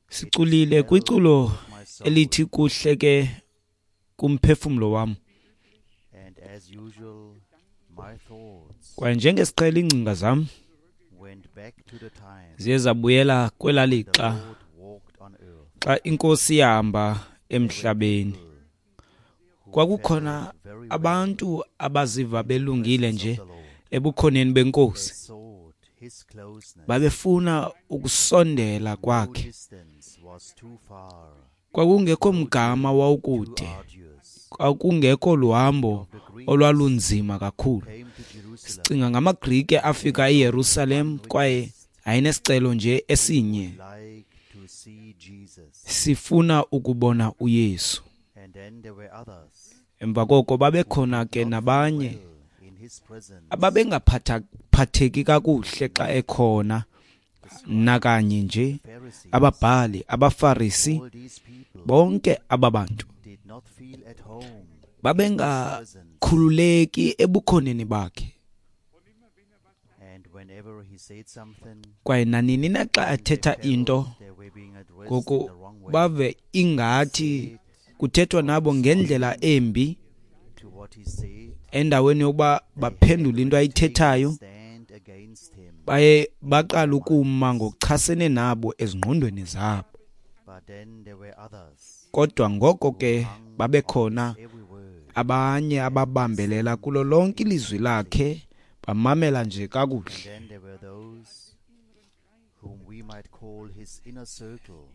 Siculile kwiculo elithi kuhle ke kumphefumlo wam. Kwaye njengesiqhelo iingcinga zam ziye zabuyela kwelaa lixa xa iNkosi yahamba emhlabeni. Kwakukhona abantu abaziva belungile nje ebukhoneni beNkosi. Babefuna ukusondela kwakhe. Kwakungekho mgama wawukude, kwakungekho luhambo olwalunzima kakhulu. Sicinga ngamaGrike afika eYerusalem kwaye ayenesicelo nje esinye: sifuna ukubona uYesu. Emva koko babekhona ke nabanye ababengaphatheki kakuhle xa ekhona nakanye nje, ababhali, abaFarisi, bonke aba bantu babengakhululeki ebukhoneni bakhe. Kwaye nanini na xa ethetha into, ngoku bave ingathi kuthethwa nabo ngendlela embi, endaweni yokuba baphendule into ayithethayo, baye baqala ukuma ngokuchasene nabo ezingqondweni zabo. Kodwa ngoko ke babekhona abanye ababambelela kulo lonke ilizwi lakhe, bamamela nje kakuhle.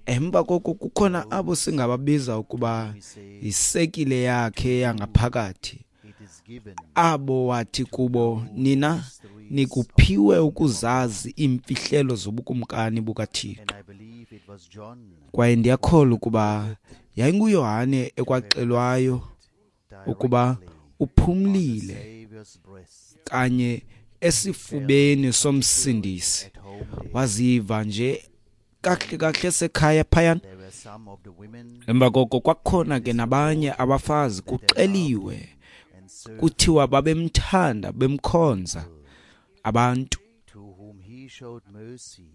Emva koko kukhona abo singababiza ukuba yisekile yakhe yangaphakathi, abo wathi kubo, nina nikuphiwe ukuzazi iimfihlelo zobukumkani bukaThixo. Kwaye ndiyakholwa ukuba yayinguYohane ekwaxelwayo ukuba uphumlile kanye esifubeni somsindisi, waziva nje kakuhle kakuhle sekhaya phayana. Emva koko kwakukhona ke nabanye abafazi, kuxeliwe kuthiwa babemthanda, bemkhonza abantu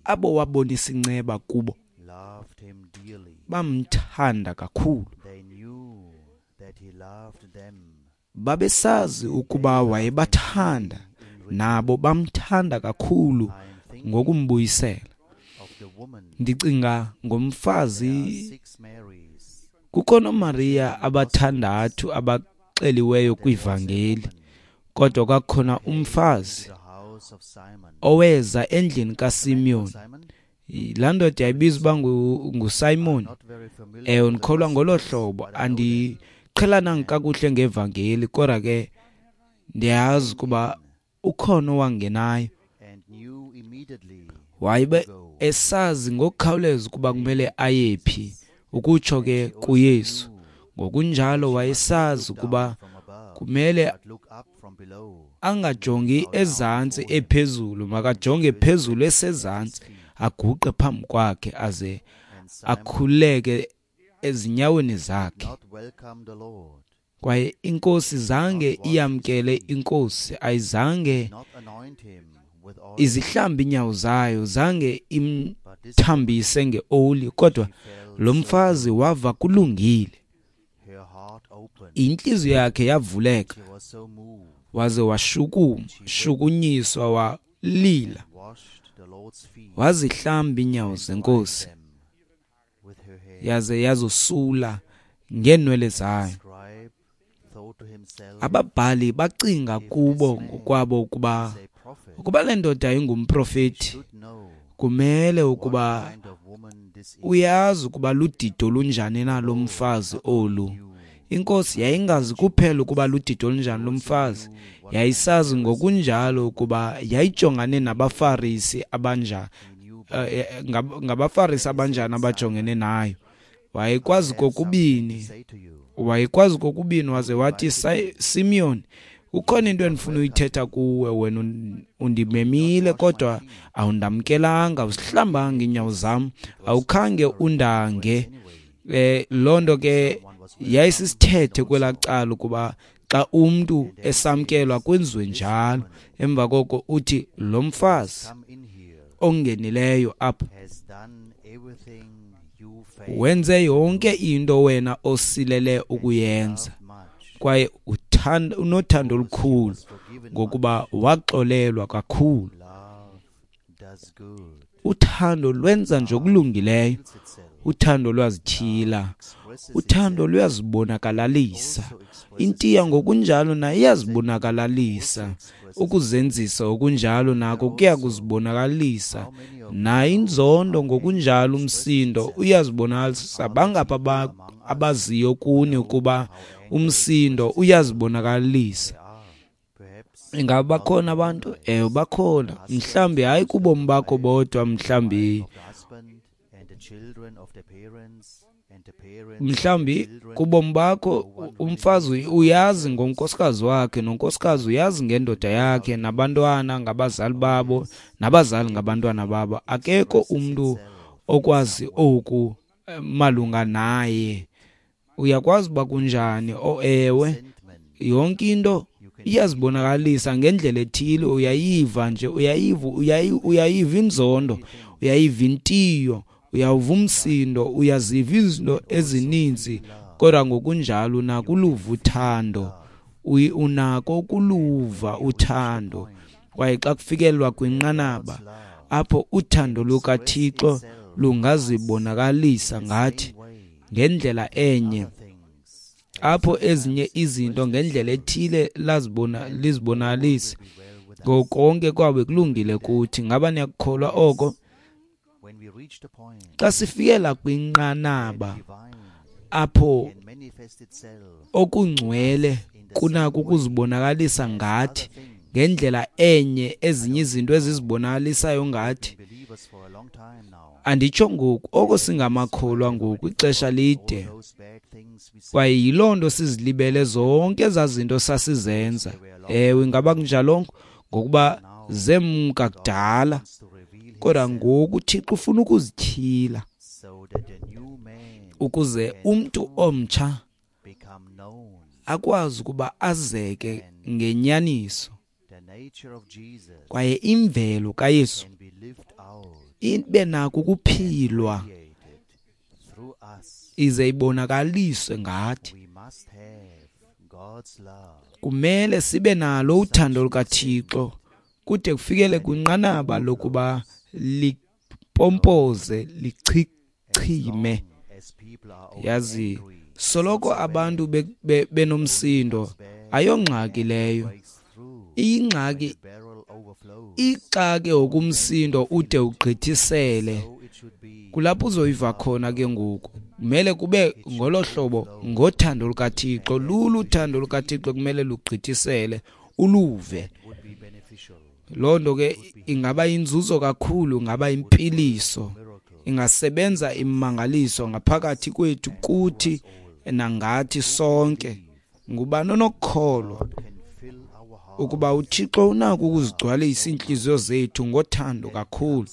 abo wabonisa inceba kubo, bamthanda kakhulu. Babesazi ukuba wayebathanda, nabo bamthanda kakhulu ngokumbuyisela. Ndicinga ngomfazi, kukho noMariya abathandathu abaxeliweyo kwivangeli, kodwa kwakhona umfazi oweza endlini kaSimeon. Laa ndoda yayibiza uba nguSimon. Ewe, ndikholwa ngolo hlobo. Andiqhelananga kakuhle ngevangeli, kodwa ke ndiyazi ukuba ukhona owangenayo. Wayebe esazi ngokukhawuleza ukuba kumele ayephi, ukutsho ke kuYesu. Ngokunjalo wayesazi ukuba kumele angajongi ezantsi ephezulu, makajonge phezulu esezantsi, aguqe phambi kwakhe aze akhuleke ezinyaweni zakhe. Kwaye iNkosi zange iyamkele iNkosi, ayizange izihlambe inyawo zayo, zange imthambise ngeoli, kodwa lo mfazi wava kulungile. Intliziyo yakhe yavuleka, waze washukuma, shukunyiswa, walila, wazihlamba inyawo zeNkosi, yaze yazosula ngeenwele zayo. Ababhali bacinga kubo ngokwabo ukuba le ndoda ingumprofeti, kumele ukuba uyazi ukuba ludido lunjani na lo mfazi olu. Inkosi yayingazi kuphela ukuba ludido lunjani lo mfazi, yayisazi ngokunjalo ukuba yayijongane nabaFarisi abanjani, ngabaFarisi abanjani abajongene nayo. Wayekwazi kokubini, waze wathi, Simeon, ukhona into endifuna uyithetha kuwe, wena undimemile kodwa awundamkelanga, awusihlambanga inyawo zam, awukhange undange. Loo nto ke yayisisithethe kwelaa cala ukuba xa umntu esamkelwa kwenziwe njalo. Emva koko uthi lo mfazi ongenileyo apha wenze yonke into wena osilele ukuyenza, kwaye unothando olukhulu ngokuba waxolelwa kakhulu. Uthando lwenza nje okulungileyo, uthando lwazityhila, uthando luyazibonakalalisa. Intiya ngokunjalo nayo iyazibonakalalisa, ukuzenzisa okunjalo nako kuya kuzibonakalisa. Nayo inzondo ngokunjalo, umsindo uyazibonakalisa. Bangapha abaziyo kuni ukuba umsindo uyazibonakalisa? Ingaba bakhona abantu? Ewe, bakhona. Mhlawumbi hayi kubomi bakho bodwa, mhlawumbi kubomi bakho umfazi uyazi ngonkosikazi wakhe, nonkosikazi uyazi ngendoda yakhe, nabantwana ngabazali babo, nabazali ngabantwana babo. Akekho umntu okwazi oku malunga naye. Uyakwazi uba kunjani? Oh ewe, yonke into iyazibonakalisa ngendlela ethile. Uyayiva nje, uyayiva inzondo, uyayiva intiyo, uyawuva umsindo, uyaziva izinto ezininzi, kodwa ngokunjalo unako uluva uthando, unako ukuluva uthando. Kwaye xa kufikelelwa kwinqanaba apho uthando lukaThixo lungazibonakalisa ngathi ngendlela enye, apho ezinye izinto ngendlela ethile lizibonakalise, ngokonke kwabe kulungile kuthi. Ngaba niyakukholwa oko? Xa sifikela kwinqanaba apho okungcwele kunako ukuzibonakalisa ngathi ngendlela enye ezinye izinto ezizibonakalisayo ngathi, anditsho ngoku oko singamakholwa ngoku ixesha lide, kwaye yiloo nto sizilibele zonke ezaa zinto sasizenza. Ewe, ingaba kunjalongo? Ngokuba zemka kudala, kodwa ngoku uThixo ufuna ukuzityhila ukuze umntu omtsha akwazi ukuba azeke ngenyaniso, kwaye imvelo kaYesu ibe nako ukuphilwa ize ibonakaliswe ngathi. Kumele sibe nalo uthando lukaThixo kude kufikele kwinqanaba lokuba lipompoze, lichichime. Yazi, soloko abantu benomsindo, ayongxaki leyo. Iyingxaki ixake okumsindo ude ugqithisele. Kulapho uzoyiva khona ke ngoku. Kumele kube ngolo hlobo ngothando lukaThixo. Lulu uthando lukaThixo kumele lugqithisele, uluve. Loo nto ke ingaba inzuzo kakhulu, ingaba impiliso, ingasebenza imangaliso ngaphakathi kwethu, kuthi nangathi sonke. Ngubani onokukholwa ukuba uThixo unako ukuzigcwalisa iintliziyo zethu ngothando kakhulu,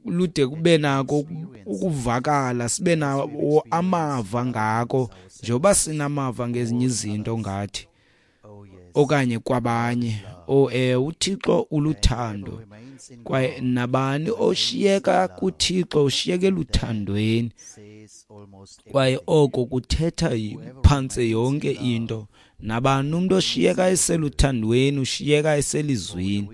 lude kube nako ukuvakala, sibe nawo amava ngako, njengoba sinamava ngezinye izinto ngathi okanye kwabanye. Oh uThixo uluthando, kwaye nabani oshiyeka kuThixo ushiyeke eluthandweni, kwaye oko kuthetha phantse yonke into. Nabani umuntu oshiyeka eseluthandweni ushiyeka eselizwini,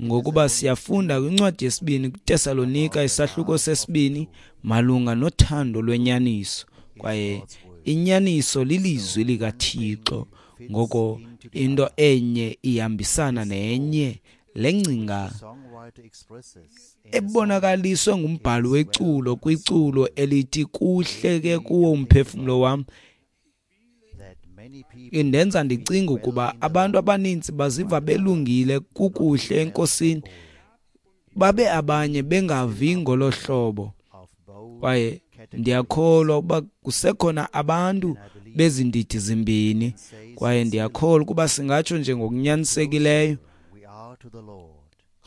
ngokuba siyafunda kwincwadi yesibini kuTesalonika isahluko sesibini malunga nothando lwenyaniso, kwaye inyaniso lilizwi likaThixo. Ngoko into enye ihambisana nenye. Le ngcinga ebonakaliswe ngumbhali weculo kwiculo elithi kuhle ke kuwo umphefumlo wam indenza ndicinga ukuba abantu abaninzi baziva belungile kukuhle eNkosini, babe abanye bengavi ngolo hlobo. Kwaye ndiyakholwa ukuba kusekhona abantu bezindidi zimbini, kwaye ndiyakholwa ukuba singatsho nje ngokunyanisekileyo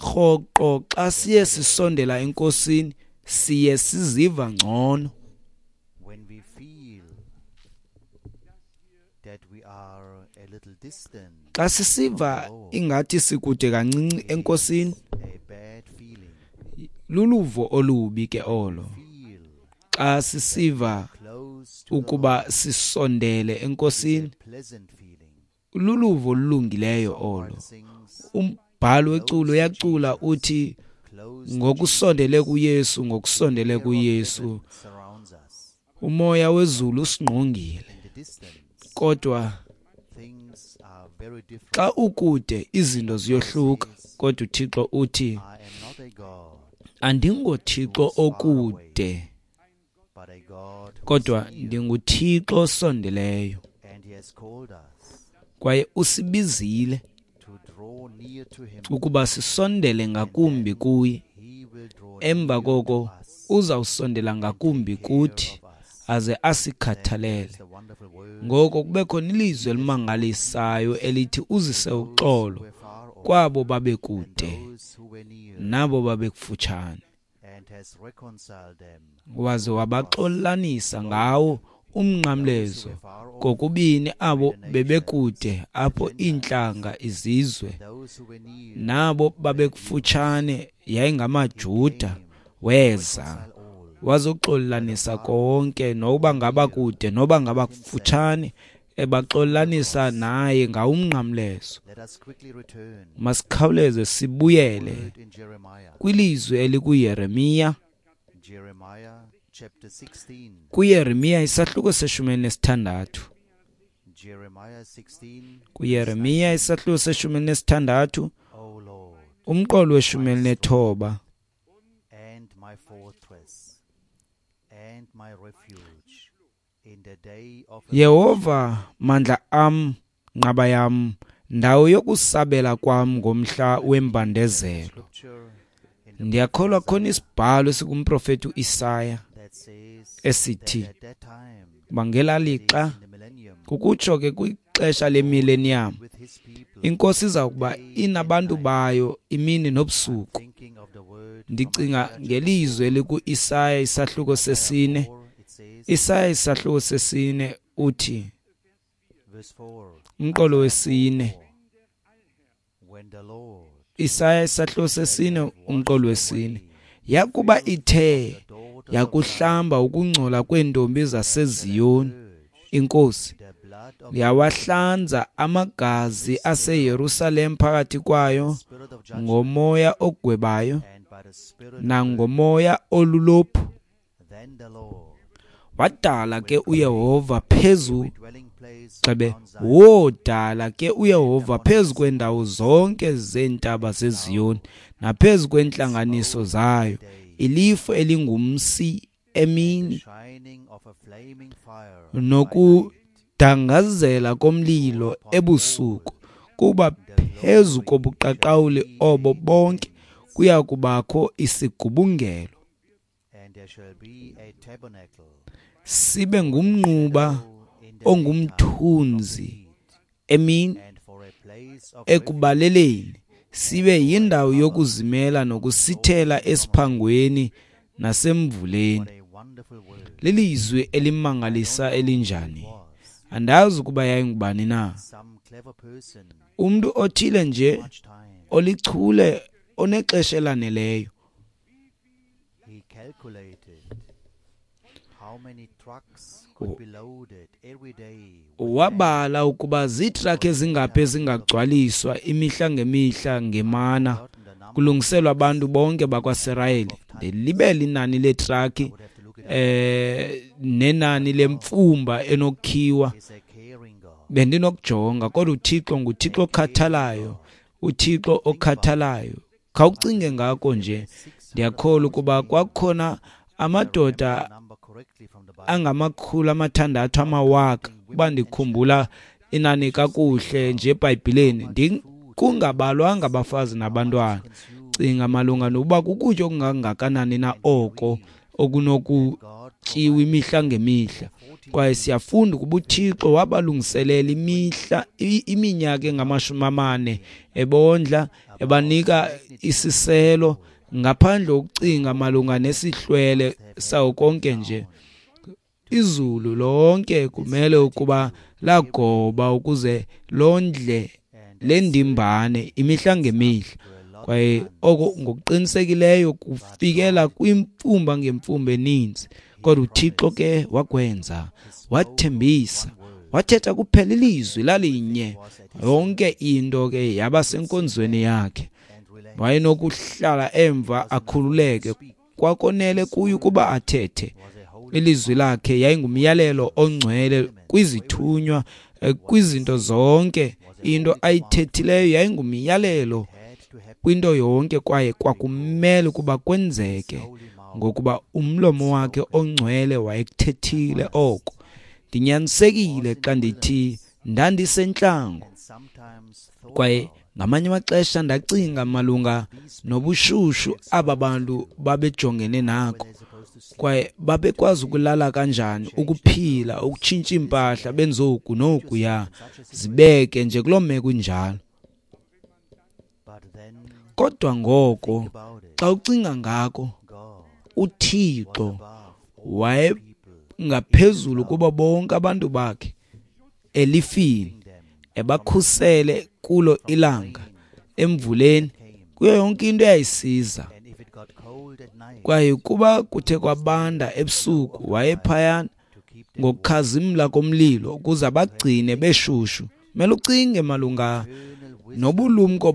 rhoqo xa siye sisondela eNkosini siye siziva ngcono. Xa sisiva ingathi sikude kancinci eNkosini, Luluvo olubi ke olo xa sisiva ukuba sisondele eNkosini. Luluvo olulungileyo olo. Umbhali weculo uyacula uthi, ngokusondele kuYesu, ngokusondele kuYesu, umoya wezulu usingqongile. Kodwa xa ukude izinto ziyohluka. Kodwa uThixo uthi, andingoThixo okude, kodwa ndinguThixo osondeleyo. Kwaye usibizile ukuba sisondele ngakumbi kuye. Emva koko uzawusondela ngakumbi kuthi aze asikhathalele. Ngoko kube khona ilizwi elimangalisayo elithi uzise uxolo kwabo babekude nabo babekufutshane, waze wabaxolanisa ngawo umnqamlezo kokubini abo bebekude, apho iintlanga izizwe, nabo babekufutshane yayingamaJuda. Weza wazoxolanisa konke, noba ngaba kude noba ngaba kufutshane, ebaxolanisa naye ngawumnqamlezo. Masikhawuleze sibuyele kwilizwi elikuYeremiya. KuYeremiya isahluko se-16. KuYeremiya isahluko se-16, umqolo we-19. Yehova, mandla am, nqaba yam, ndawo yokusabela kwam ngomhla wembandezelo. Ndiyakholwa khona isibhalo esikumprofeti uIsaya esithi bangela lixa, kukutsho ke kwixesha lemillennium, iNkosi iza kuba inabantu bayo imini nobusuku. Ndicinga ngelizwi elikuIsaya isahluko sesine. Isaya isahluko sesine uthi, umqolo wesine. Isaya isahluko sesine umqolo wesine. Yakuba ithe yakuhlamba ukungcola kweentombi zaseZiyoni, iNkosi yawahlanza amagazi aseYerusalem phakathi kwayo ngomoya ogwebayo nangomoya olulophu. Wadala ke uYehova phezu gxebe, wodala ke uYehova phezu kwendawo zonke zeentaba zeZiyoni naphezu kwentlanganiso zayo ilifu elingumsi emini nokudangazela komlilo ebusuku, kuba phezu kobuqaqawuli obo bonke kuya kubakho isigubungelo, sibe ngumnquba ongumthunzi emini ekubaleleni, sibe yindawo yokuzimela nokusithela esiphangweni nasemvuleni. Lilizwi elimangalisa elinjani! Andazi ukuba yayingubani na, umntu othile nje olichule onexesha elaneleyo. Wabala ukuba ziitrakhi ezingaphi ezingagcwaliswa imihla ngemihla ngemana kulungiselwa abantu bonke bakwaSirayeli. Ndilibele inani leetrakhi nenani lemfumba enokhiwa, bendinokujonga. Kodwa uThixo nguThixo okhathalayo, uThixo okhathalayo. Khawucinge ngako nje. Ndiyakholwa ukuba kwakukhona amadoda angama600 amawaka, uba ndikhumbula inani kakuhle nje eBhayibhileni, kungabalwanga abafazi nabantwana. Cinga malunga nokuba kukutya okungangakanani na oko okunokutyiwa imihla ngemihla. Kwaye siyafunda ukuba uThixo wabalungiselela imihla iminyaka engama-40 ebondla, ebanika isiselo, ngaphandle kokucinga malunga nesihlwele sawo konke nje. Izulu lonke kumele ukuba lagoba ukuze londle le ndimbane imihla ngemihla. Kwaye oko ngokuqinisekileyo kufikela kwimfumba ngemfumba eninzi. Kodwa uThixo ke wakwenza, wathembisa, wathetha kuphela ilizwi lalinye. Yonke into ke yaba senkonzweni yakhe. Wayenokuhlala emva akhululeke, kwakonele kuye ukuba athethe. Ilizwi lakhe yayingumyalelo ongcwele kwizithunywa, kwizinto zonke. Into ayithethileyo yayingumyalelo kwinto yonke, kwaye kwakumele ukuba kwenzeke ngokuba umlomo wakhe ongcwele wayekuthethile oko. Ndinyanisekile xa ndithi ndandisentlango, kwaye ngamanye amaxesha ndacinga malunga nobushushu aba bantu babejongene nako, kwaye babekwazi ukulala kanjani, ukuphila, ukutshintsha iimpahla, benze oku nokuya, zibeke nje kuloo meko injalo. Kodwa ngoko xa ucinga ngako, uThixo wayengaphezulu kubo bonke abantu bakhe elifini, ebakhusele kulo ilanga, emvuleni, kuyo yonke into eyayisiza. Kwaye kuba kuthe kwabanda ebusuku, wayephayana ngokukhazimla komlilo ukuze abagcine beshushu. Mele ucinge malunga nobulumko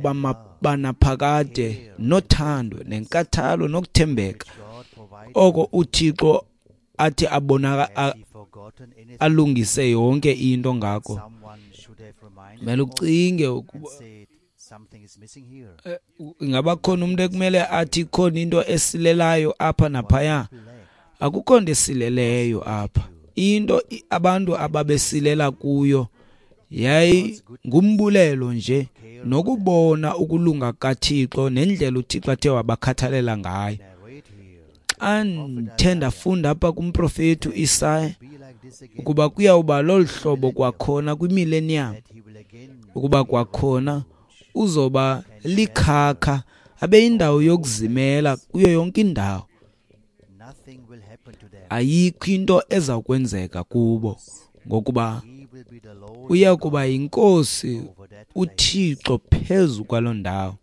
banaphakade, nothando, nenkathalo, nokuthembeka oko uThixo athi abonaka alungise yonke into ngako. Mele ucinge ukuba ingaba khona umuntu ekumele athi khona into esilelayo apha naphaya. Akukho nto esileleyo apha. Into abantu ababesilela kuyo yayingumbulelo nje nokubona ukulunga kaThixo nendlela uThixo athe wabakhathalela ngayo. Xa ndithe ndafunda apha kumprofeti uIsaya ukuba kuyawuba lolu hlobo kwakhona kwimillennium, ukuba kwakhona uzoba likhakha abe indawo yokuzimela kuyo yonke indawo. Ayikho into eza kwenzeka kubo, ngokuba uya kuba yinkosi uThixo phezu kwaloo ndawo.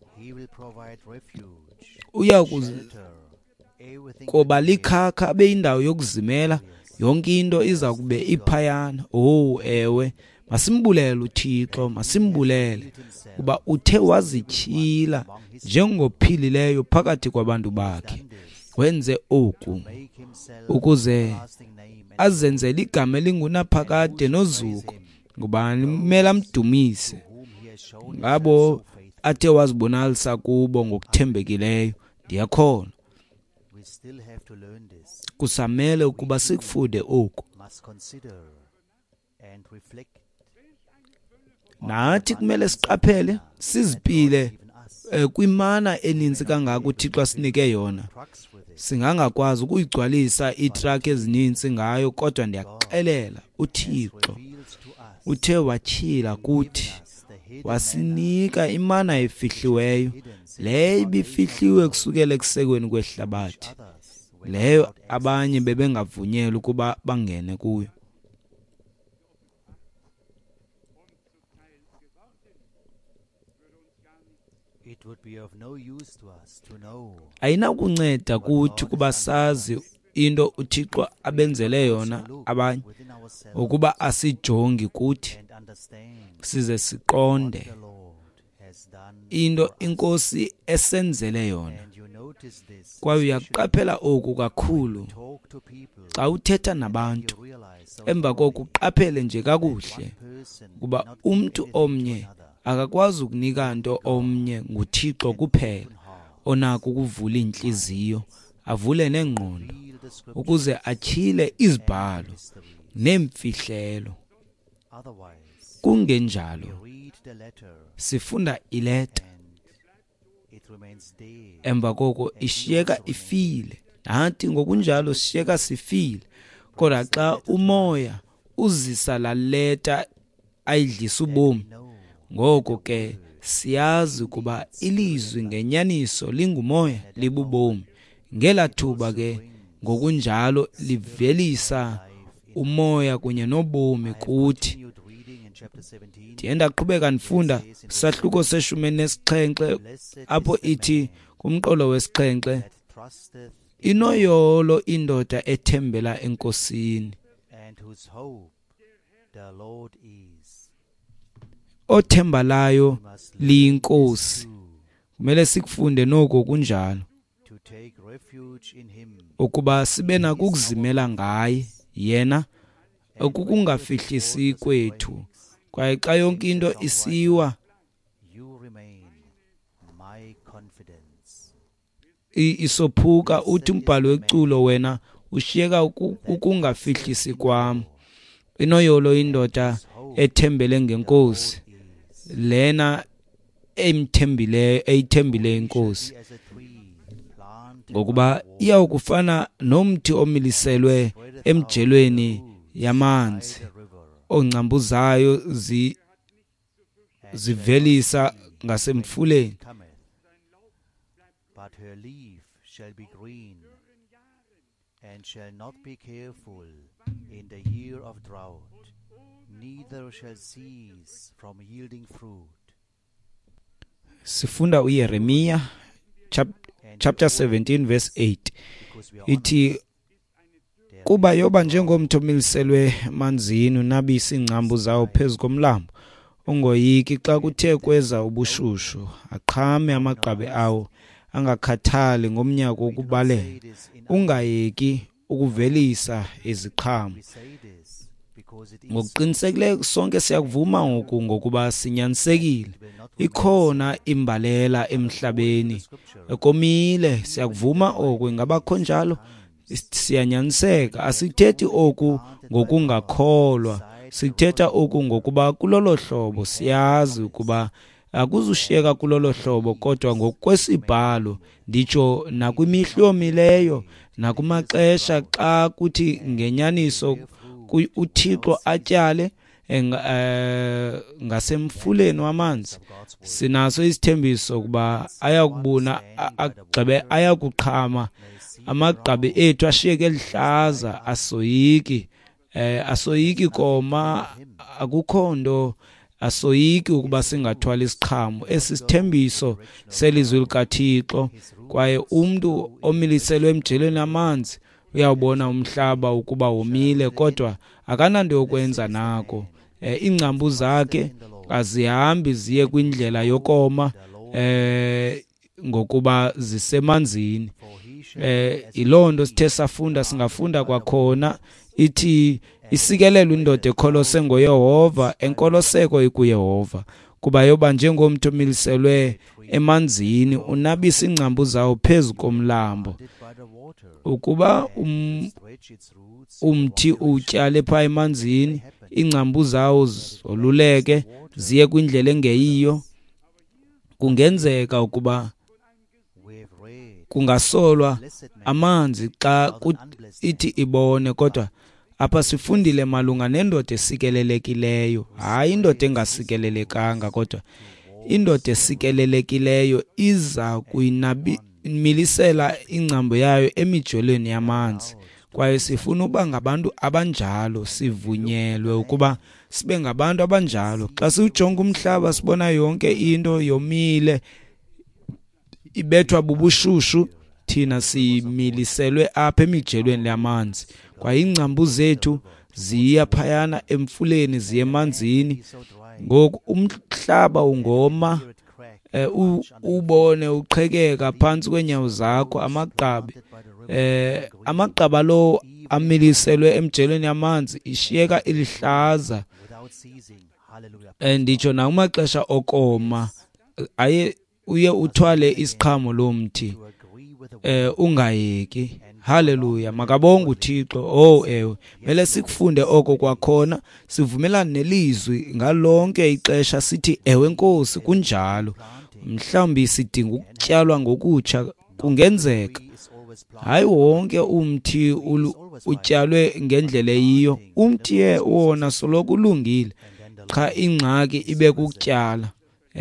Uya kuba likhakha abe indawo yokuzimela, yonke into iza kube iphayana. Oh ewe, masimbulele uThixo, masimbulele kuba uthe wazityhila njengophilileyo phakathi kwabantu bakhe. Wenze oku ukuze azenzele igama elingunaphakade nozuko. Ngubani kumele amdumise ngabo athe wazibonakalisa kubo ngokuthembekileyo? Ndiyakholwa kusamele ukuba sikufunde oku. Nathi kumele siqaphele, sizipile kwimana eninzi kangaka uThixo asinike yona. Singangakwazi ukuyigcwalisa iitrakhi ezininzi ngayo, kodwa ndiyakuxelela uThixo uthe watyhila kuthi, wasinika imana efihliweyo, leyo ibifihliwe kusukela ekusekweni kwehlabathi, leyo abanye bebengavunyelwa ukuba bangene kuyo. Ayinakunceda kuthi ukuba sazi into uThixo abenzele yona abanye, ukuba asijongi kuthi size siqonde into iNkosi esenzele yona. Kwaye uyaqaphela oku kakhulu xa uthetha nabantu, emva koko uqaphele nje kakuhle ukuba umntu omnye akakwazi ukunika nto omnye, nguThixo kuphela onako ukuvula iintliziyo, avule neengqondo ukuze atyhile izibhalo neemfihlelo. Kungenjalo sifunda ileta, emva koko ishiyeka ifile, nathi ngokunjalo sishiyeka sifile. Kodwa xa umoya uzisa laa leta ayidlisa ubomi, ngoko ke siyazi ukuba ilizwi ngenyaniso lingumoya, libubomi. Ngelaa thuba ke ngokunjalo livelisa umoya kunye nobomi kuthi. Ndiye ndaqhubeka ndifunda isahluko se-17 apho ithi kumqolo wesixhenxe, inoyolo indoda ethembela eNkosini, othemba layo liyiNkosi. Kumele sikufunde noko kunjalo, ukuba sibe nako ukuzimela ngaye yena okukungafihlisi kwethu. Kwaye xa yonke into isiwa isophuka, uthi umbhali weculo, wena ushiyeka ukungafihlisi kwam. Inoyolo indoda ethembele ngeNkosi, lena emthembileyo, eyithembileyo iNkosi, ngokuba iyawukufana nomthi omiliselwe emjelweni yamanzi, ongcambu zayo zivelisa ngasemfuleni. But her leaf shall be green, and shall not be careful in the year of drought, neither shall cease from yielding fruit. Sifunda uYeremiya chapter 17 verse 8. Ithi, kuba yoba njengomthi omiliselwe emanzini, unabise iingcambu zawo phezu komlambo, ungoyiki xa kuthe kweza ubushushu, aqhame amagqabi awo, angakhathali ngomnyaka wokubalela, ungayeki ukuvelisa iziqhamo. Ngokuqinisekileyo sonke siyakuvuma ngoku, ngokuba sinyanisekile. Ikhona imbalela emhlabeni, komile, siyakuvuma oku. Ingabakho njalo? Siyanyaniseka. Asithethi oku ngokungakholwa, sithetha oku ngokuba kulolo hlobo siyazi ukuba akuzushiyeka kulolo hlobo, kodwa ngokwesibhalo nditsho nakwimihla yomileyo nakumaxesha xa kuthi ngenyaniso uThixo atyale ngasemfuleni wamanzi, sinaso isithembiso ukuba ayakubuna, agqibe, ayakuqhama amagqabi ethu ashiyeke elihlaza, asoyiki, asoyiki koma, akukho nto, asoyiki ukuba singathwala isiqhamo. Esi sithembiso selizwi likaThixo. Kwaye umntu omiliselwe emjelweni amanzi uyawubona umhlaba ukuba womile, kodwa akananto yokwenza nako. Iingcambu zakhe azihambi ziye kwindlela yokoma, ngokuba zisemanzini. Yiloo nto sithe safunda, singafunda kwakhona. Ithi isikelelwe indoda ekholose ngoYehova, enkoloseko ikuYehova, kuba yoba njengomthi omiliselwe emanzini, unabisa iingcambu zawo phezu komlambo. Ukuba umthi utyale phaa emanzini, iingcambu zawo zoluleke ziye kwindlela engeyiyo, kungenzeka ukuba kungasolwa amanzi xa ithi ibone. Kodwa apha sifundile malunga nendoda esikelelekileyo, hayi indoda engasikelelekanga, kodwa indoda esikelelekileyo iza kuyimilisela ingcambu yayo emijolweni yamanzi. Kwaye sifuna uba ngabantu abanjalo, sivunyelwe ukuba sibe ngabantu abanjalo. Xa siwujonga umhlaba sibona yonke into yomile, ibethwa bubushushu, thina similiselwe apha emijelweni yamanzi. Kwaye iingcambu zethu ziya phayana emfuleni, ziye emanzini. Ngoku umhlaba ungoma, ubone uqhekeka phantsi kweenyawo zakho, amagqabi, amagqaba lo amiliselwe emjelweni yamanzi ishiyeka ilihlaza. Nditsho nakumaxesha okoma, aye uye uthwale isiqhamo lomthi, ungayeki. Haleluya, makabonge uThixo. Oh ewe, mele sikufunde oko kwakhona, sivumelane nelizwi ngalonke ixesha, sithi ewe Nkosi, kunjalo. Mhlawumbi sidinga ukutyalwa ngokutsha, kungenzeka. Hayi wonke umthi utyalwe ngendlela eyiyo. Umthi wona soloko ulungile, qha ingxaki ibe kukutyala.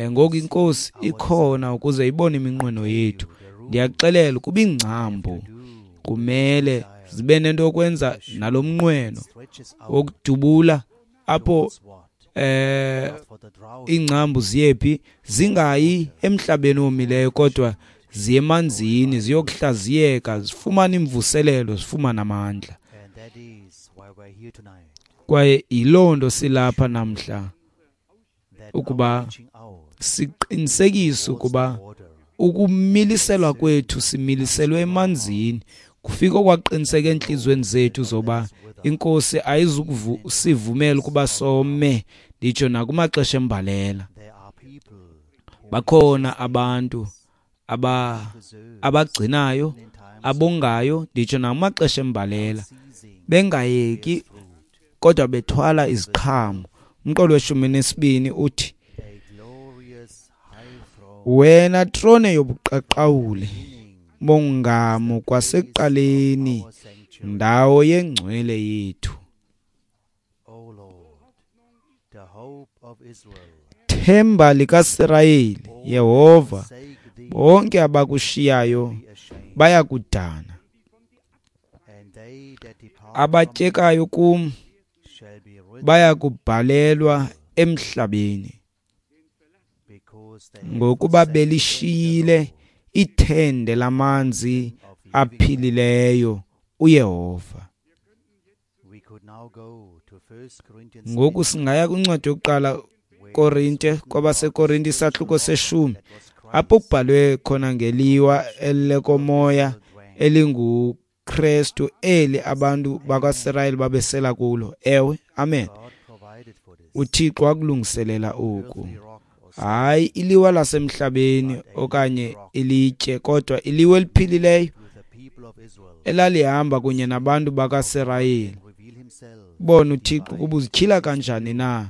Ngoku iNkosi ikhona ukuze ibone iminqweno yethu. Ndiyakuxelela ukuba iingcambu kumele zibe nento yokwenza nalo mnqweno wokudubula apho Ingcambu ziyephi? Zingayi emhlabeni owomileyo, kodwa ziye emanzini, ziyokuhlaziyeka, zifumane imvuselelo, zifumane amandla. Kwaye yiloo nto silapha namhla, ukuba siqinisekise ukuba ukumiliselwa kwethu similiselwe emanzini, kufika okwaqiniseka entliziyweni zethu zoba iNkosi ayizukusivumela ukuba some, nditsho nakumaxesha embalela. Bakhona abantu abagcinayo, abongayo, nditsho nakumaxesha embalela, bengayeki kodwa bethwala iziqhamo. Umqolo we-12 uthi, wena trone yobuqaqawuli bongamo kwasekuqaleni, ndawo yengcwele yethu. Themba likaSirayeli, Yehova, bonke abakushiyayo bayakudana. Abatyekayo kum bayakubhalelwa emhlabeni, ngokuba belishiyile ithende lamanzi aphilileyo uYehova. Ngoku singaya kwincwadi yokuqala Korinte, kwabaseKorinte isahluko 10, apho kubhalwe khona ngeliwa elekomoya elinguKrestu, eli abantu bakwaSirayeli babesela kulo. Ewe, amen. UThixo wakulungiselela oku. Hayi iliwa lasemhlabeni okanye ilitye, kodwa iliwa eliphilileyo elalihamba kunye nabantu bakaSirayeli. Bona uThixo ukuba uzityhila kanjani na,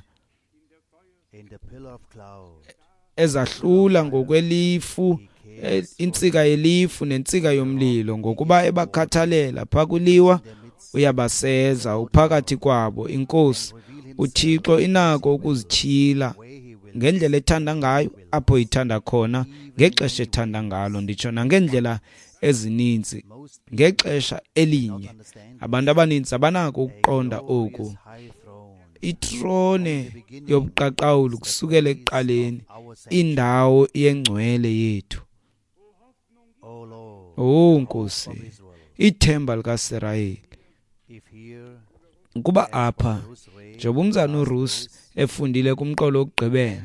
ezahlula ngokwelifu, intsika yelifu nentsika yomlilo, ngokuba ebakhathalela. Pha kwiliwa uyabaseza, uphakathi kwabo. INkosi uThixo inako ukuzityhila ngendlela ethanda ngayo, apho ithanda khona, ngexesha ethanda ngalo, nditsho nangendlela ezininzi ngexesha elinye. Abantu abaninzi abanako ukuqonda oku. Itrone yobuqaqawuli kusukela ekuqaleni, indawo yengcwele yethu. Oh Nkosi, ithemba likaSirayeli. Ukuba apha, njengoba umzana uRusi efundile kumqolo wokugqibela,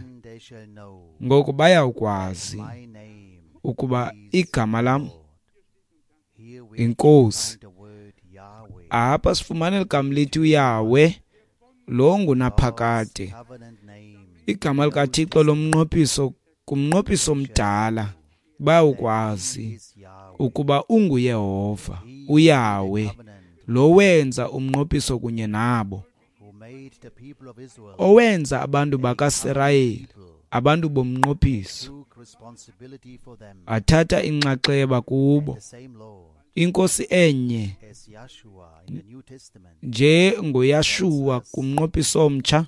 ngoku bayawukwazi ukuba igama lam iNkosi. Apha sifumana ligama lithi uYahweh, lo ngunaphakade. Igama likaThixo lomnqophiso, kumnqophiso omdala, bayawukwazi ukuba unguYehova, uYahweh, lo wenza umnqophiso kunye nabo, owenza abantu bakaSirayeli abantu bomnqophiso, athatha inxaxheba kubo. INkosi enye njengoYashuwa kumnqophiso omtsha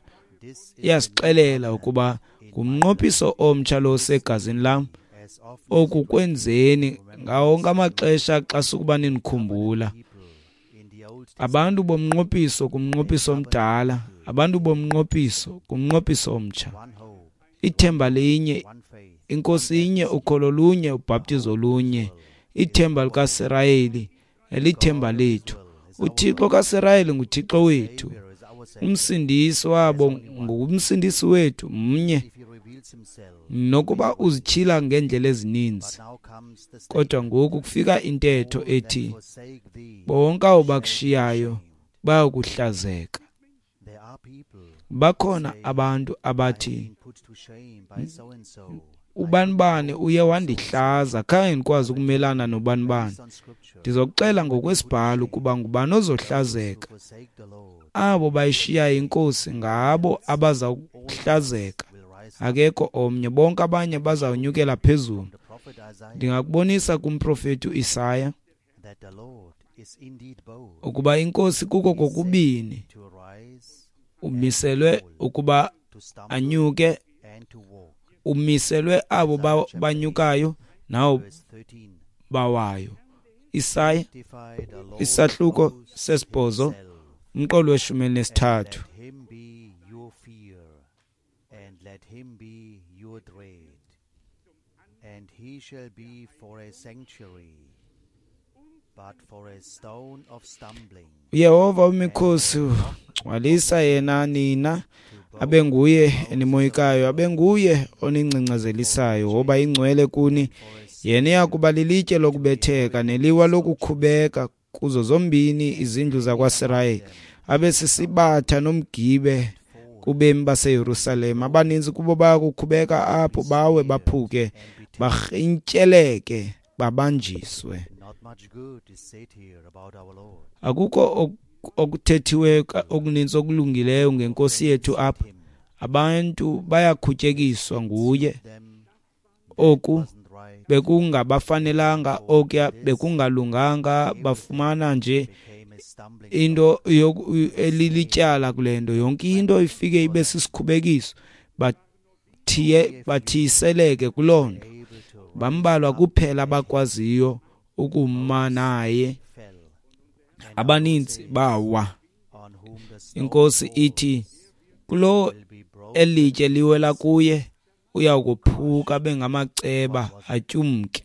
iyasixelela ukuba ngumnqophiso omtsha lo osegazini lam, oku kwenzeni ngawo wonke amaxesha xa sukuba ninikhumbula. Abantu bomnqophiso kumnqophiso omdala, abantu bomnqophiso kumnqophiso omtsha. Ithemba linye, iNkosi inye, ukholo lunye, ubhaptizo lunye. Ithemba likaSirayeli lithemba lethu. uThixo kaSirayeli nguThixo wethu. Umsindisi wabo ngumsindisi wethu, mnye. Nokuba uzityhila ngeendlela ezininzi, kodwa ngoku kufika intetho ethi bonke abo bakushiyayo bayakuhlazeka. Bakhona abantu abathi ubanibani uye wandihlaza, khange ndikwazi ukumelana nobanibani. Ndizokuxela ngokwesibhalo ukuba ngubani ozohlazeka. Abo bayishiyayo iNkosi ngabo abaza kuhlazeka, akekho omnye. Bonke abanye bazawunyukela phezulu. Ndingakubonisa kumprofeti uIsaya ukuba iNkosi kuko kokubini umiselwe ukuba anyuke, umiselwe abo banyukayo nawo bawayo. Isaya isahluko 8 umqolo we-13. Let him be your dread, and he shall be for a sanctuary, but for a stone of stumbling. uYehova wemikhosi ugcwalisa yena nina, abe nguye enimoyikayo, abe nguye oningcangcazelisayo, woba ingcwele kuni. Yena iya kuba lilitye lokubetheka neliwa lokukhubeka kuzo zombini izindlu zakwaSirayeli, abe sisibatha nomgibe kubemi baseYerusalem. Abaninzi kubo baya kukhubeka apho, bawe baphuke, barhintyeleke, babanjiswe. Not much good is said here about our Lord. Akukho okuthethiweyo okuninzi okulungileyo ngenkosi yethu apha. Abantu bayakhutyekiswa nguye. Them Oku wasn't right, bekungabafanelanga, okuya bekungalunganga, bafumana nje became a stumbling into elilityala kule nto. Yonke into ifike ibe sisikhubekiso, bathiyiseleke kuloo nto. able to Bambalwa kuphela abakwaziyo ukuma naye, fell, abaninzi bawa. on whom the stone Inkosi ithi kulo will be broken, elitye liwela kuye uya kuphuka bengamaceba atyumke.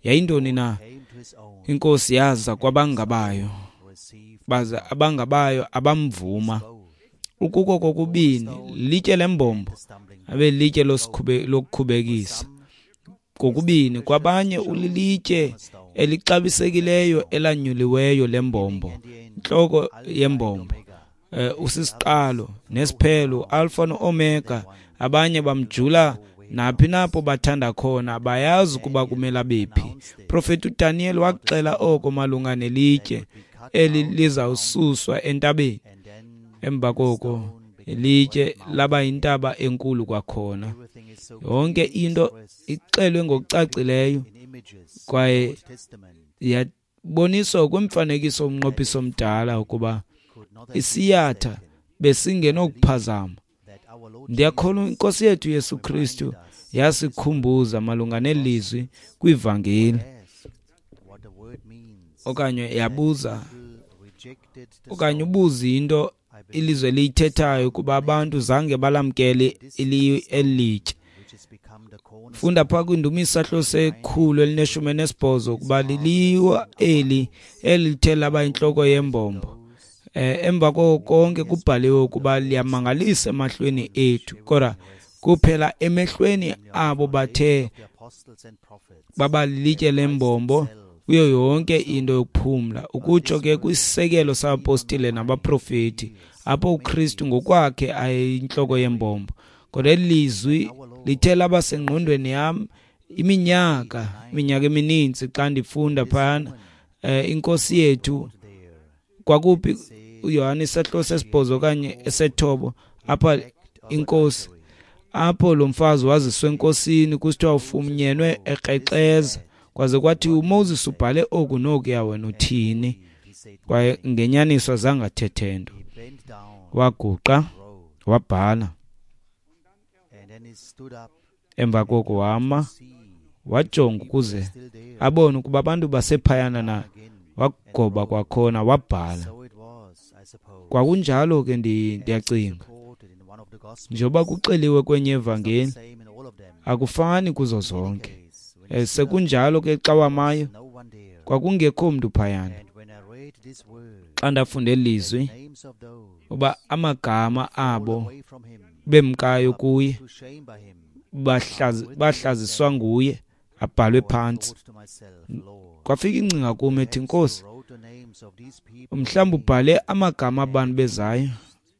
Yayintoni na? came to his own, Inkosi yaza kwabangabayo, received baza abangabayo abamvuma. both Ukuko kokubini litye lembombo the stumbling abe litye lokukhubekisa. Kokubini kwabanye ulilitye elixabisekileyo elanyuliweyo lembombo, intloko yembombo. Omega, Usisiqalo nesiphelo, Alpha no-Omega. Abanye bamjula naphi napho bathanda khona, bayazi ukuba kumele bephi. Profeti uDaniel waxela oko malunga nelitye eli lizawususwa entabeni. and then Emva koko ilitye laba yintaba enkulu kwakhona. everything is so Yonke into ixelwe ngokucacileyo in images, kwaye Old Testament yaboniswa kwimfanekiso womnqophiso omdala ukuba could not have been isiyatha mistaken besingenokuphazama. that our Lord Ndiyakholwa inkosi yethu Yesu Kristu yasikhumbuza malunga nelizwi kwivangeli, asked what the word means. okanye yabuza People rejected the okanye stone. ubuza into I believe ilizwe liyithethayo kuba abantu zange balamkele elitye. which has become the cornerstone Funda phaa kwindumiso isahluko se-118 ukuba liliwa eli elithe laba yintloko yembombo. Emva koko konke kubhaliwe ukuba liyamangalisa emahlweni ethu, kodwa kuphela emehlweni abo bathe of the apostles and prophets. baba lilitye lembombo kuyo yonke into yokuphumla, ukutsho ke kwisisekelo sabapostile nabaprofeti, apho uKristu ngokwakhe ayintloko yembombo. Kodwa eli lizwi lithe laba sengqondweni yam iminyaka emininzi xa ndifunda phayana. Inkosi yethu There kwakuphi uYohane isahluko sesibhozo okanye esethoba apha inkosi apho lo mfazi waziswa enkosini kusithiwa ufunyenwe ekrexeza, kwaze kwathi uMoses ubhale oku nokuya, wena uthini? he said, Kwaye ngenyaniso azange athethe nto. he bent down, Waguqa wrote, wabhala. and then he stood up Emva koko wama see wajonga ukuze still there abone ukuba abantu basephayana na. again. Wagoba kwakhona wabhala. So it was, I suppose, Kwakunjalo ke ndiyacinga, reported in one of the gospels. njengoba kuxeliwe kwenye evangeli, Same in all of them. akufani kuzo zonke. Case, when Sekunjalo ke xa wamayo no one there. kwakungekho mntu phayana. And when I read this word, Xa ndafunda eli lizwi names of those uba amagama abo away from him, bemkayo kuye to shame by him, bahlaziswa nguye abhalwe I phantsi. thought to myself, Lord, Kwafika ingcinga kum ethi, Nkosi, who wrote the names of these people mhlawumbi ubhale amagama abantu bezayo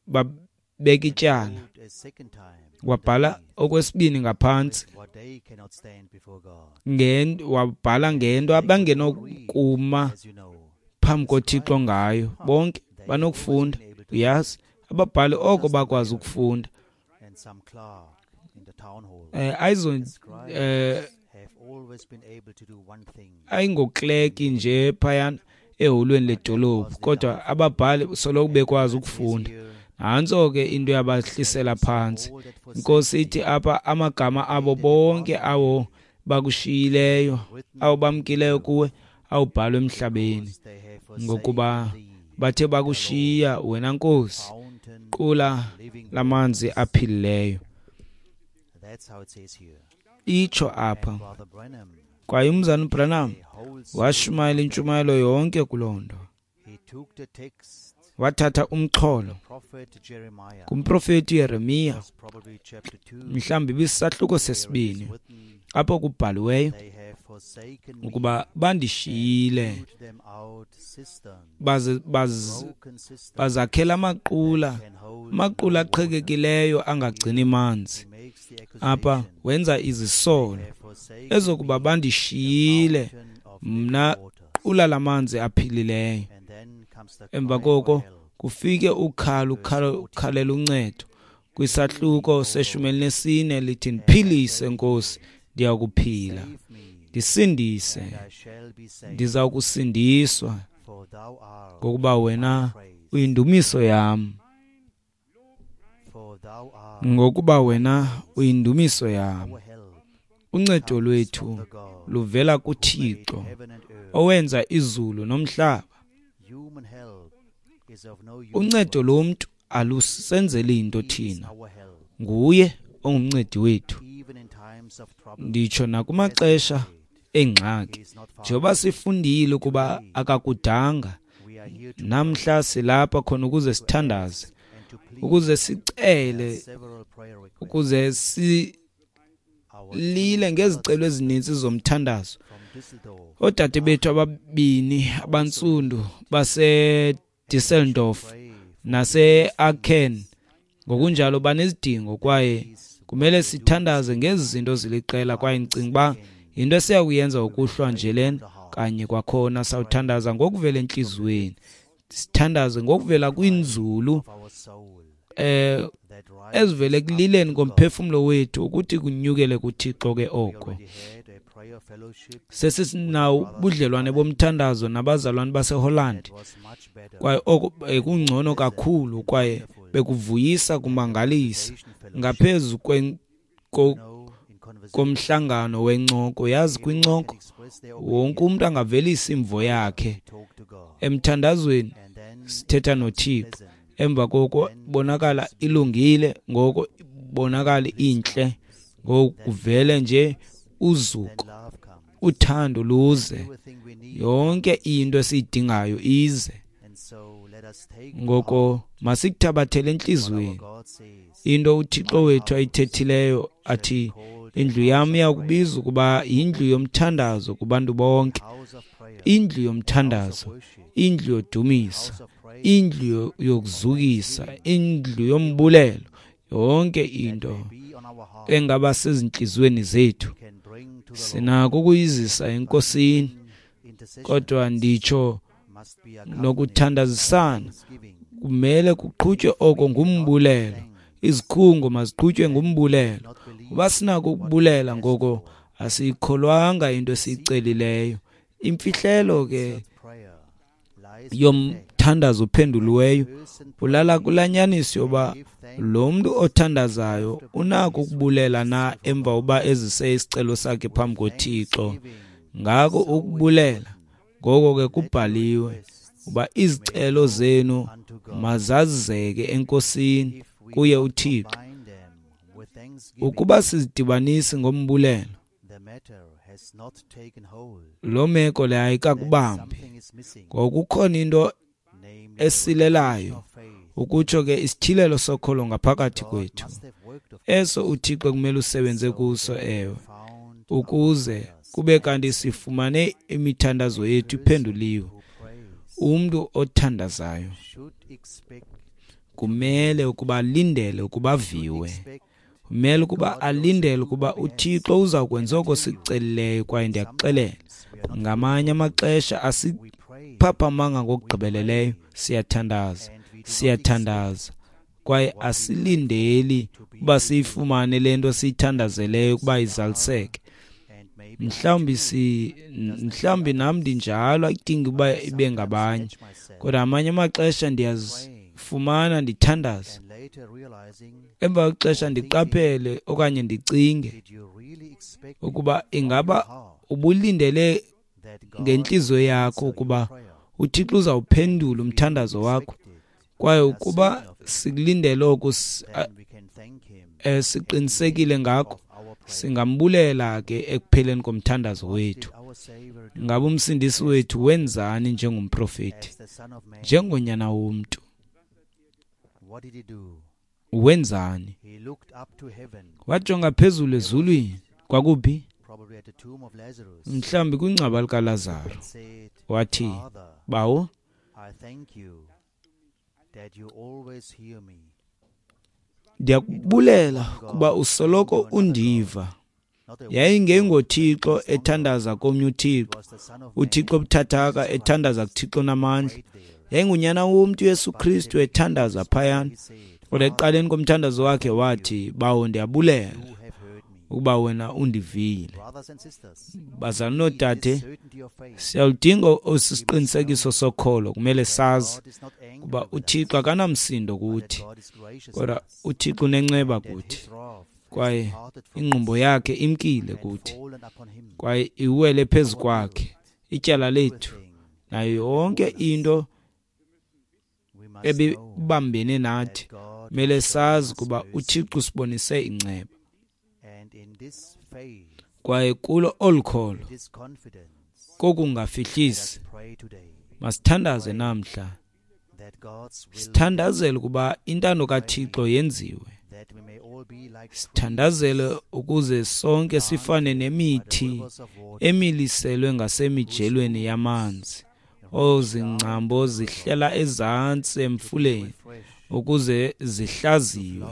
babeka ityala. wrote a second time Wabhala okwesibini ngaphantsi what they cannot stand before God. wabhala ngento abangenokuma As you know, phambi koThixo ngayo. Bonke banokufunda, uyazi, ababhali oko bakwazi ukufunda. and some clerk in the town hall Ayizo scribes have always been able to do one thing. ayingokleki nje phayana eholweni ledolophu, kodwa ababhali soloko bekwazi ukufunda. Nantso ke into yabahlisela phantsi. All that forsake Inkosi ithi apha amagama abo bonke awo bakushiyileyo, awo bamkileyo kuwe, awubhalwe emhlabeni, they have forsaken ngokuba thee, bathe bakushiya wena Nkosi, fountain qula living lamanzi aphilileyo. Itsho apha. Kwaye umzana uBranham washumayela intshumayelo yonke kuloo nto. Wathatha umxholo kumprofeti Yeremiya, mhlawumbi ibisisahluko sesibini, apho kubhaliweyo ukuba bandishiyile baze bazakhela amaqula, amaqula aqhekekileyo angagcini manzi. Apha wenza izisolo ezokuba bandishiyile mna qula lamanzi aphilileyo. Emva koko kufike ukhalo, ukhalela uncedo kwisahluko se-14 lithi, ndiphilise Nkosi, ndiyakuphila, ndisindise, ndiza kusindiswa, ngokuba wena uyindumiso yam, ngokuba wena uyindumiso yam. Uncedo lwethu luvela kuThixo owenza izulu nomhlaba. Uncedo lomntu alusenzeli into thina, nguye ongumncedi wethu, nditsho nakumaxesha engxaki. Njengoba sifundile ukuba akakudanga, namhla silapha khona ukuze sithandaze, ukuze sicele, ukuze silile ngezicelo ezininzi zomthandazo. Oodade bethu ababini abantsundu baseDusseldorf nase-Aachen ngokunjalo banezidingo, kwaye kumele sithandaze ngezi zinto ziliqela. Kwaye ndicinga uba yinto esiya kuyenza ukuhlwa nje lena kanye kwakhona. Sawuthandaza ngokuvela entliziyweni, sithandaze ngokuvela kwinzulu ezivele ekulileni komphefumlo wethu, ukuthi kunyukele kuThixo ke oko. Sesinawo ubudlelwane bomthandazo nabazalwane baseHolland, kwaye oko bekungcono kakhulu kwaye bekuvuyisa kumangalisa ngaphezu komhlangano wencoko. Yazi, kwincoko wonke umuntu angavelisa imvo yakhe. Emthandazweni sithetha noThixo, emva koko bonakala ilungile, ngoko bonakala intle, ngoku kuvele nje uzuko, uthando luze, yonke into esiyidingayo ize. Ngoko masikuthabathele entliziyweni into uThixo wethu ayithethileyo, athi indlu yam iyakubizwa ukuba yindlu yomthandazo kubantu bonke, indlu yomthandazo, indlu yodumisa, indlu yokuzukisa, indlu yombulelo, yonke into engaba sezintliziyweni zethu sinako ukuyizisa eNkosini. Kodwa nditsho nokuthandazisana kumele kuqhutywe oko ngumbulelo. Izikhungo maziqhutywe ngumbulelo. Uba sinako ukubulela, ngoko asiyikholwanga into esiyicelileyo. Imfihlelo ke yomthandazo ophenduliweyo ulala kulaa nyaniso yoba lo mntu othandazayo unako ukubulela na emva uba ezise isicelo sakhe phambi koThixo. Ngako ukubulela, ngoko ke kubhaliwe uba izicelo zenu mazazeke eNkosini, kuye uThixo. Ukuba sizidibanisi ngombulelo, loo meko le ayikakubambi, ngokukhona into esilelayo, ukutsho ke isityhilelo sokholo ngaphakathi kwethu, eso uThixo kumele usebenze kuso, ewe, ukuze kube kanti sifumane imithandazo yethu iphenduliwe. Umntu othandazayo kumele ukuba alindele ukuba aviwe, kumele ukuba alindele ukuba uThixo uza kwenza oko sikucelileyo. Kwaye ndiyakuxelela, ngamanye amaxesha asiphaphamanga ngokugqibeleleyo. Siyathandaza, siyathandaza, kwaye asilindeli uba siyifumane le nto siyithandazeleyo ukuba izaliseke. Mhlawumbi nam ndinjalo, ayidingi uba ibe ngabanye, kodwa amanye amaxesha ndiyazifumana ndithandaza, emva kwexesha ndiqaphele okanye ndicinge ukuba ingaba ubulindele ngentliziyo yakho ukuba uThixo uzawuphendula umthandazo wakho. Kwaye ukuba sikulindele oku, Siqinisekile ngakho, singambulela ke ekupheleni komthandazo wethu. Ngabe uMsindisi wethu wenzani njengomprofeti, njengonyana womntu? Wenzani? Wajonga phezulu ezulwini. Kwakuphi? Mhlawumbi kwingcwaba likaLazaro. Wathi, Bawo, ndiyakubulela kuba usoloko undiva. YayingengoThixo ethandaza komnye uThixo, uThixo obuthathaka ethandaza kuThixo namandla. Yayingunyana womntu uYesu Kristu ethandaza phayana. Kodwa ekuqaleni komthandazo wakhe wathi, Bawo, ndiyabulela ukuba wena undivile. Bazalwane noodade, siyaludinga esi siqinisekiso sokholo. Kumele sazi ukuba uThixo akanamsindo kuthi, kodwa uThixo unenceba kuthi, kwaye ingqumbo yakhe imkile kuthi, kwaye iwele phezu kwakhe ityala lethu nayo yonke into ebibambene nathi. Kumele sazi ukuba uThixo usibonise inceba, kwaye kulo olu kholo kokungafihlisi masithandaze namhla, sithandazele ukuba intando kaThixo yenziwe, sithandazele ukuze sonke sifane nemithi emiliselwe ngasemijelweni yamanzi, ozingcambo zihlela ezantsi emfuleni ukuze zihlaziywe,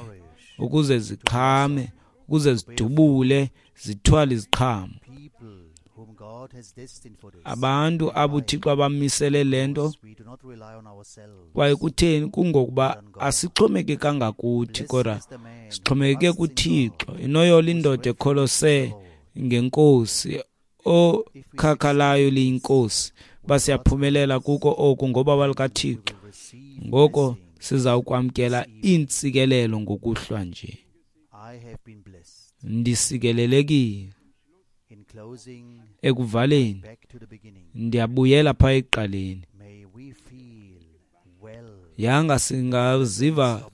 ukuze ziqhame, ukuze zidubule, zithwale iziqhamo. Abantu abo uThixo abamisele le nto, kwaye kutheni? Kungokuba asixhomekekanga kuthi, kodwa sixhomekeke kuThixo. Inoyola indoda ekholose ngeNkosi, okhakhalayo liyinkosi. Uba siyaphumelela kuko oku ngobabalo kaThixo, ngoko sizawukwamkela iintsikelelo ngokuhlwa nje. Ndisikelelekile. Ekuvaleni, ndiyabuyela phaa ekuqaleni. Yanga singaziva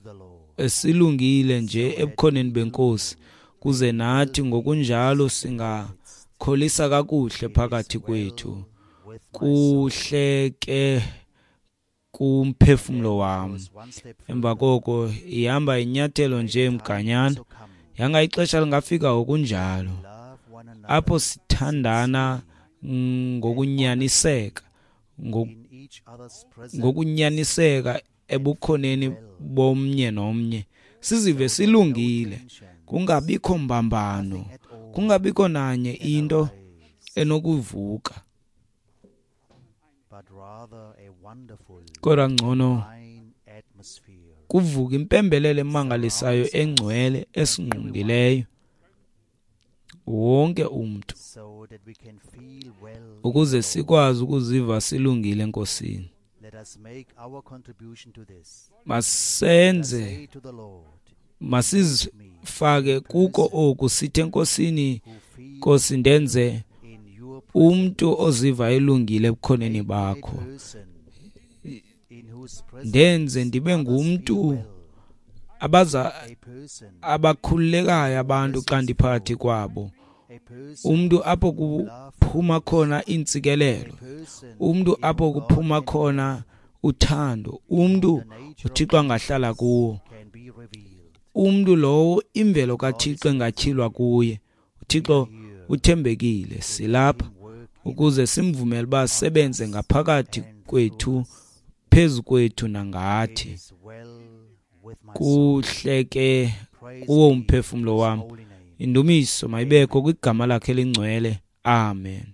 silungile nje ebukhoneni beNkosi, kuze nathi ngokunjalo singakholisa kakuhle phakathi kwethu. Kuhle ke kumphefumlo wam. Emva koko ihamba inyathelo nje mganyana. Yanga ixesha lingafika ngokunjalo, apho sithandana ngokunyaniseka, ngokunyaniseka ebukhoneni bomnye nomnye, sizive silungile, kungabikho mbambano, kungabikho nanye into enokuvuka, kodwa ngcono kuvuka impembelelo emangalisayo engcwele esingqongileyo wonke umntu, ukuze sikwazi ukuziva silungile eNkosini. Masenze, masizifake kuko oku, sithi eNkosini, Nkosi, ndenze umntu oziva elungile ebukhoneni bakho, ndenze ndibe ngumntu abakhululekayo abantu xa ndiphakathi kwabo, umntu apho kuphuma khona iintsikelelo, umntu apho kuphuma khona uthando, umntu uThixo angahlala kuwo, umntu lowo imvelo kaThixo engatyhilwa kuye. uThixo uthembekile. Silapha ukuze simvumele uba asebenze ngaphakathi kwethu, phezu kwethu nangathi. Kuhle ke kuwo umphefumlo wam. Indumiso mayibekho kwigama lakhe elingcwele. Amen.